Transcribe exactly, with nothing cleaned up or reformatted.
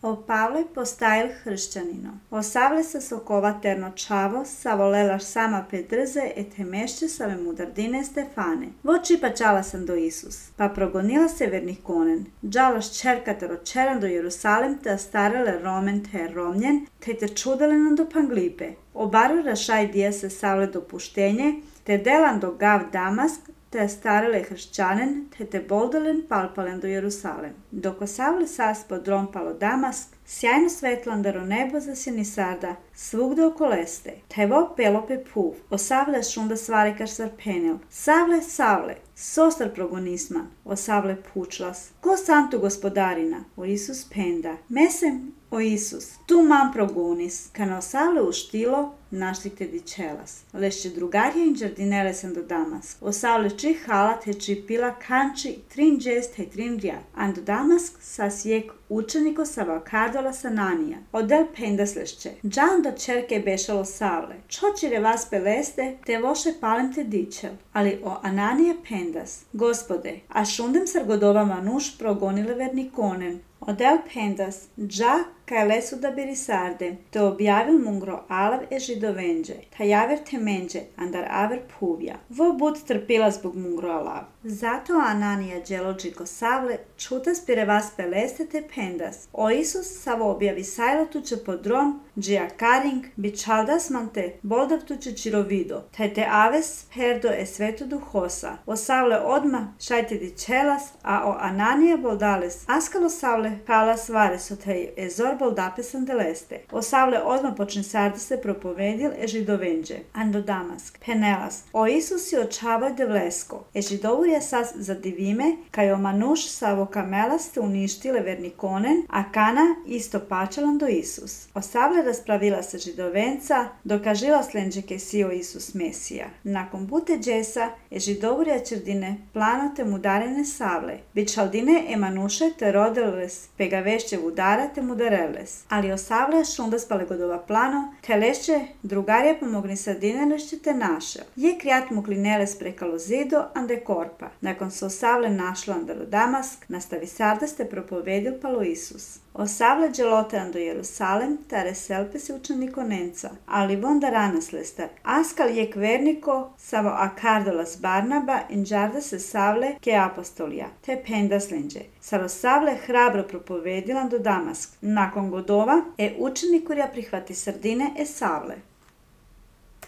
O Pavle postail hrišćanino. O Savle sa sokova terno čavo, savolelaš sama Pedrze et temešće save mudardine Stefane. Voči pa čala sam do Isus. Pa progonila se vernih konen. Džalaš čerkatar očeran do Jerusalem te astarele romen te romnjen, te te čudelen do Panglipe. Obaru rašaj dija se Savle dopuštenje, te delan do Gav Damask, te starele hršćanen, te te boldelen palpalen do Jerusalem. Dok o Savle sas pod rompalo Damask, sjajno svetlandaro nebo zasjeni sarda, svugde oko leste. Tevo pelope puv, o Savle šunda svarikar sar penel. Savle, Savle, sostar progonisman, o Savle pučlas. Ko santu gospodarina, o Isus penda. Mesem, o Isus, tu mam progonis, kana o Savle uštilo, naštikte dičelas. Lešće drugarje in džardinele sam do Damask. O Savle či halat he či pila kanči trin džest he trin rjad. An do Damask sas jek učeniko sa kardola Sananija. Odel pendas lešće. Džan do čerke bešalo Savle. Čočire vas peleste, te voše palem te dičel. Ali o Ananija pendas. Gospode, a šundem sargodova manuš progonile verni konen. Odel pendas, dža kaj lesu da birisarde, te objavil mungro alav e židovenđe, ta javer temenđe, andar aver puvja. Vo bud trpila zbog mungro alav. Zato Ananija dželođi ko Savle, čuta spire vas peleste te pendas. O Isus savo objavi sajla tuče podron, džija karing, bi čaldas mante, boldav tuče čirovido, taj te aves perdo e svetu duhosa. O Savle odma šajte di čelas, a o Ananija boldales, askalo Savle kala svare so taj ezor boldape sandeleste. O Savle odma počne sarda se propovedil e židovenđe, ando Damask, penelas. O Isus si očavaj de vlesko, e židovurja sas zadivime, kaj o manuš savo kamela ste uništile verni konen, a kana isto pačalan do Isus. O Savle raspravila se židovenca, dokažila slenđe ke si o Isus Mesija. Nakon bute džesa, e židovurja črdine planote mudarene Savle, bičaldine e manuše te rodeles, pega vešće vudara te mudareles. Ali o Savle šunda spale godova plano, te lešće drugarje pomogni sardine lešće te našel. Je krijat muklineles prekalo zido, ande korpa. Nakon se o Savle našlo andalo Damask, nastavi sarda ste propovedil palo Isus. O Savle dželotean do Jerusalem, tare selpe se učeniko Nenca, ali vonda ranas lestar. Askal jek verniko, savo akardolas Barnaba, in džarda se Savle ke apostolija, te pendas lenđe. Saro Savle hrabro propovedilan do Damask. Nakon godova, e učenikurja prihvati sardine e Savle.